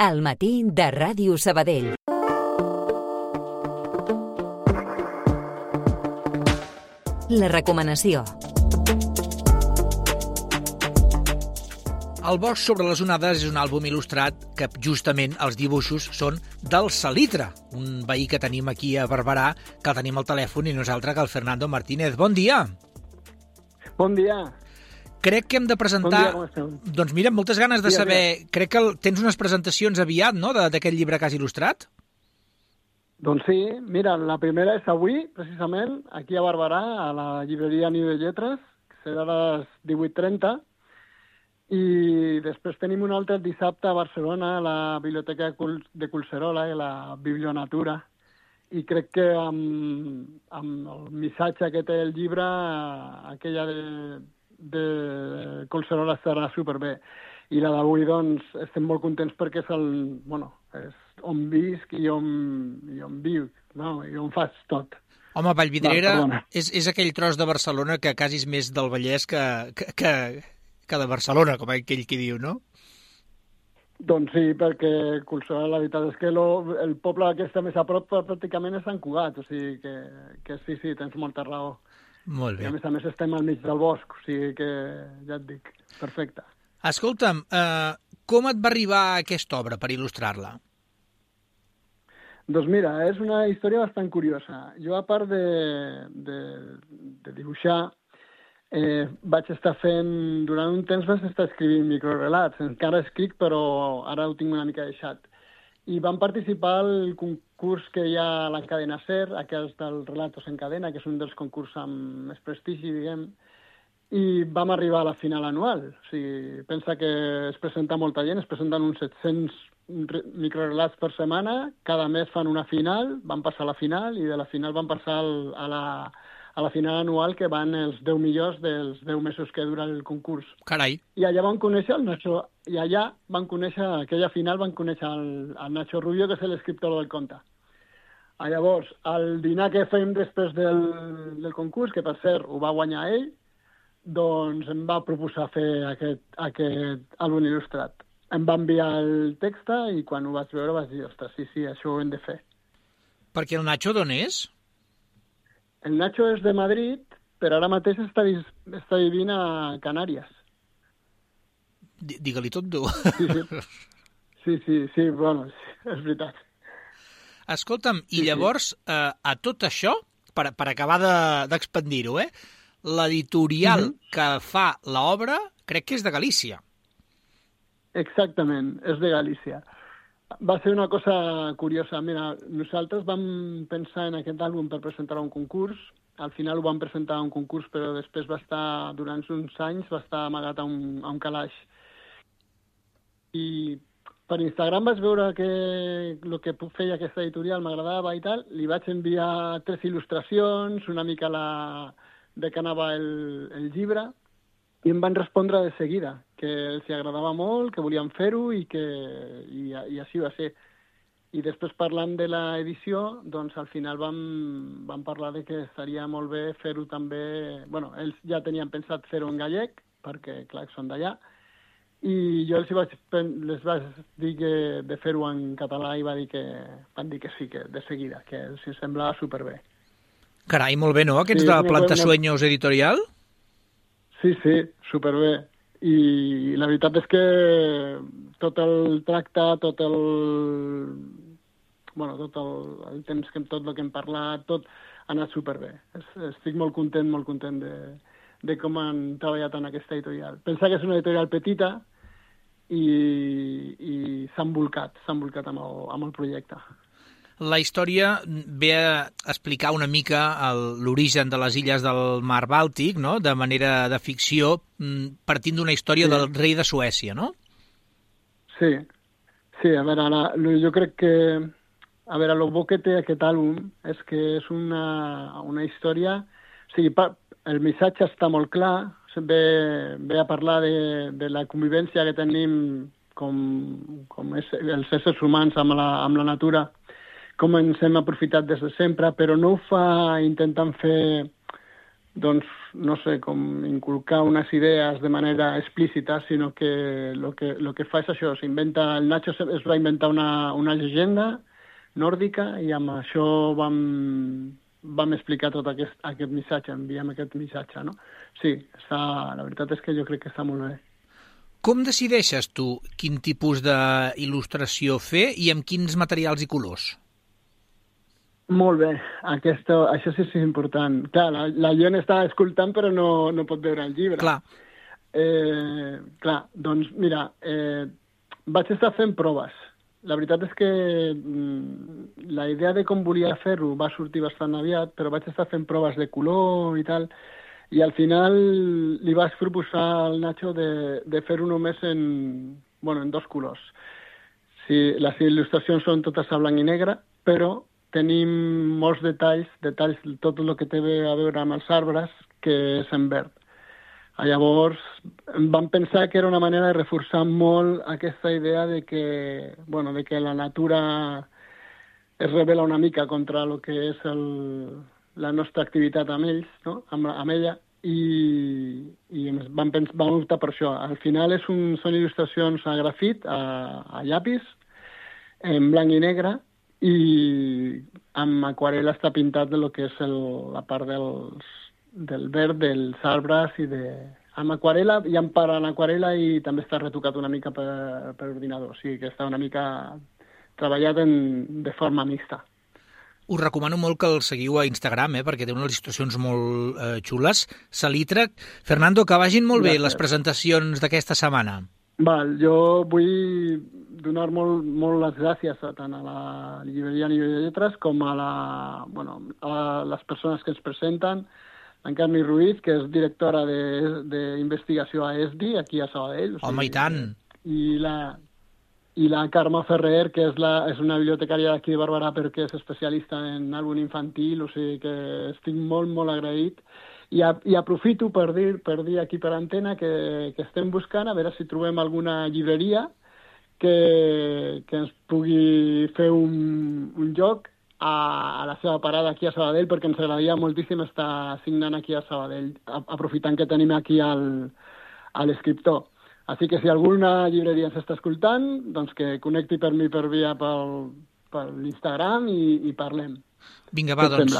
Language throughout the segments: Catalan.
Al matí de Ràdio Sabadell. La recomanació. El bosc sobre les onades és un àlbum il·lustrat que justament els dibuixos són del Salitre, un veí que tenim aquí a Barberà, que el tenim al telèfon i nosaltres que el Fernando Martínez. Bon dia! Bon dia! Crec que hem de presentar... Bon dia, com esteu? Doncs mira, moltes ganes de saber... Crec que tens unes presentacions aviat, no?, d'aquest llibre que has il·lustrat? Doncs sí, mira, la primera és avui, precisament, aquí a Barberà, a la llibreria Niu de Lletres, que serà a les 18:30, i després tenim un altre el dissabte a Barcelona, a la Biblioteca de Collserola i la Biblionatura, i crec que amb el missatge que té el llibre, aquella de Collserola estarà superbé. I la d'avui, doncs, estem molt contents perquè és és on visc i on viu, no? I on fas tot. Home, Vallvidrera és aquell tros de Barcelona que quasi és més del Vallès que de Barcelona, com aquell qui diu, no? Doncs sí, perquè Collserola, la veritat és que el poble que està més a prop pràcticament és Sant Cugat, o sigui que sí, tens molta raó. Molt bé. I a més estem al mig del bosc, o sigui que ja et dic, perfecte. Escolta'm, com et va arribar aquesta obra per il·lustrar-la? Doncs mira, és una història bastant curiosa. Jo, a part de dibuixar, vaig estar fent... Durant un temps vaig estar escrivint microrelats. Encara escric, però ara ho tinc una mica deixat. I vam participar al concurs que hi ha a la cadena SER, aquells dels Relatos en Cadena, que és un dels concursos amb més prestigi, diguem, i vam arribar a la final anual. O sigui, pensa que es presenta molta gent, es presenten uns 700 microrelats per setmana, cada mes fan una final, van passar a la final, i de la final van passar a la final anual, que van els 10 millors dels 10 mesos que dura el concurs. Carai! I allà van conèixer el Nacho, i allà van conèixer, aquella final van conèixer el Nacho Rubio, que és l'escriptor del conte. Llavors, el dinar que fèiem després del concurs, que per cert ho va guanyar ell, doncs em va proposar fer aquest àlbum il·lustrat. Em va enviar el text i quan ho vaig veure vaig dir, ostres, sí, això ho hem de fer. Perquè el Nacho d'on és? El Nacho és de Madrid, però ara mateix està vivint a Canàries. Digue-li tot, tu. Sí, bueno, és veritat. Escolta'm, i llavors, a tot això, per acabar d'expandir-ho, l'editorial que fa l'obra crec que és de Galícia. Exactament, és de Galícia. Va ser una cosa curiosa. Mira, nosaltres vam pensar en aquest àlbum per presentar a un concurs. Al final ho vam presentar a un concurs, però després va estar, durant uns anys, va estar amagat a un calaix. I per Instagram vaig veure que el que feia aquesta editorial m'agradava i tal. Li vaig enviar 3 il·lustracions, una mica de què anava el llibre, i em van respondre de seguida, que els agradava molt, que volien fer-ho i així va ser. I després, parlant de l'edició, doncs al final vam parlar de que estaria molt bé fer-ho també... Bueno, ells ja tenien pensat fer-ho en gallec, perquè, clar, són d'allà, i jo les vaig dir que de fer-ho en català i van dir que sí, que de seguida, que els semblava superbé. Carai, molt bé, no? Aquests de Plantasueños Editorial? Sí, superbé. I la veritat és que tot el tracte, tot el temps, tot el que hem parlat, tot ha anat superbé. Estic molt content de com han treballat en aquesta editorial. Pensa que és una editorial petita i s'ha embolcat amb el projecte. La història ve a explicar una mica l'origen de les illes del mar Bàltic, no?, de manera de ficció, partint d'una història del rei de Suècia, no? Sí, a veure, jo crec que... A veure, el bo que té aquest àlbum és que és una història... O sigui, el missatge està molt clar, ve a parlar de la convivència que tenim com els éssers humans amb la natura, com ens hem aprofitat des de sempre, però no ho fa intentant fer doncs, no sé, com inculcar unes idees de manera explícita, sinó que lo que fa és això, el Nacho es va inventar una llegenda nòrdica i amb això vam explicar tot aquest missatge, enviem aquest missatge, no? Sí, la veritat és que jo crec que està molt bé. Com decideixes tu quin tipus d'il·lustració fer i amb quins materials i colors? Molt bé, això sí és important. Clar, la Ion està escoltant però no pot veure el llibre. Clar. Doncs mira, vaig estar fent proves. La veritat és que la idea de com volia fer-ho va sortir bastant aviat, però vaig estar fent proves de color i tal, i al final li vaig proposar al Nacho de fer-ho només en 2 colors. Sí, les il·lustracions són totes a blanc i negre, però tenim molts detalls, tot el que té a veure amb els arbres, que és en verd. Llavors, vam pensar que era una manera de reforçar molt aquesta idea de que la natura es revela una mica contra el que és la nostra activitat amb ells, no? amb ella, i vam optar per això. Al final són il·lustracions a grafit, a llapis, en blanc i negre, i amb aquarel·la està pintat de lo que és la part del verd dels arbres amb aquarel·la, hi ha part en aquarel·la i també està retocat una mica per ordinador, o sigui que està una mica treballat de forma mixta. Us recomano molt que el seguiu a Instagram, perquè té unes il·lustracions molt xules. Salitre. Fernando, que vagin molt bé les presentacions d'aquesta setmana. Jo vull donar molt les gràcies tant a la llibreria Nivell de Lletres com a les persones que ens presenten, en Carme Ruiz, que és directora d'investigació a ESDI, aquí a Sabadell. Home, i tant! I la Carme Ferrer, que és una bibliotecària d'aquí de Barberà perquè és especialista en àlbum infantil, o sigui que estic molt, molt agraït. I aprofito per dir aquí per antena que estem buscant a veure si trobem alguna llibreria que ens pugui fer un lloc a la seva parada aquí a Sabadell, perquè ens agradaria moltíssim estar signant aquí a Sabadell, aprofitant que tenim aquí l'escriptor. Així que si alguna llibreria ens està escoltant, doncs que connecti per mi per via per l'Instagram i parlem. Vinga, va, doncs,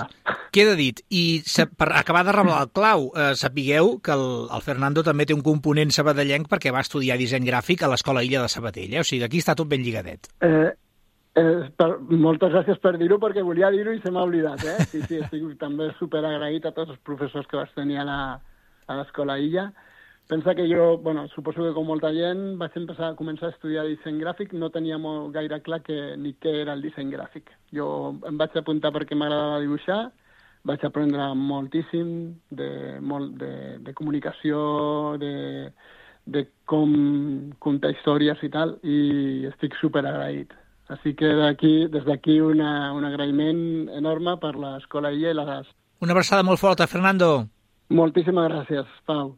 queda dit. I per acabar de revelar el clau, sapigueu que el Fernando també té un component sabadellenc perquè va estudiar disseny gràfic a l'Escola Illa de Sabadell, o sigui, aquí està tot ben lligadet. Moltes gràcies per dir-ho, perquè volia dir-ho i se m'ha oblidat, Sí, estic també superagraït a tots els professors que vaig tenir a l'Escola Illa. Pensa que jo, suposo que com molta gent, vaig començar a estudiar disseny gràfic, no tenia molt gaire clar ni què era el disseny gràfic. Jo em vaig apuntar perquè m'agradava dibuixar, vaig aprendre moltíssim de comunicació, de com contar històries i tal, i estic superagraït. Així que des d'aquí un agraïment enorme per l'Escola Illa i la GAS. Una abraçada molt forta, Fernando. Moltíssimes gràcies, Pau.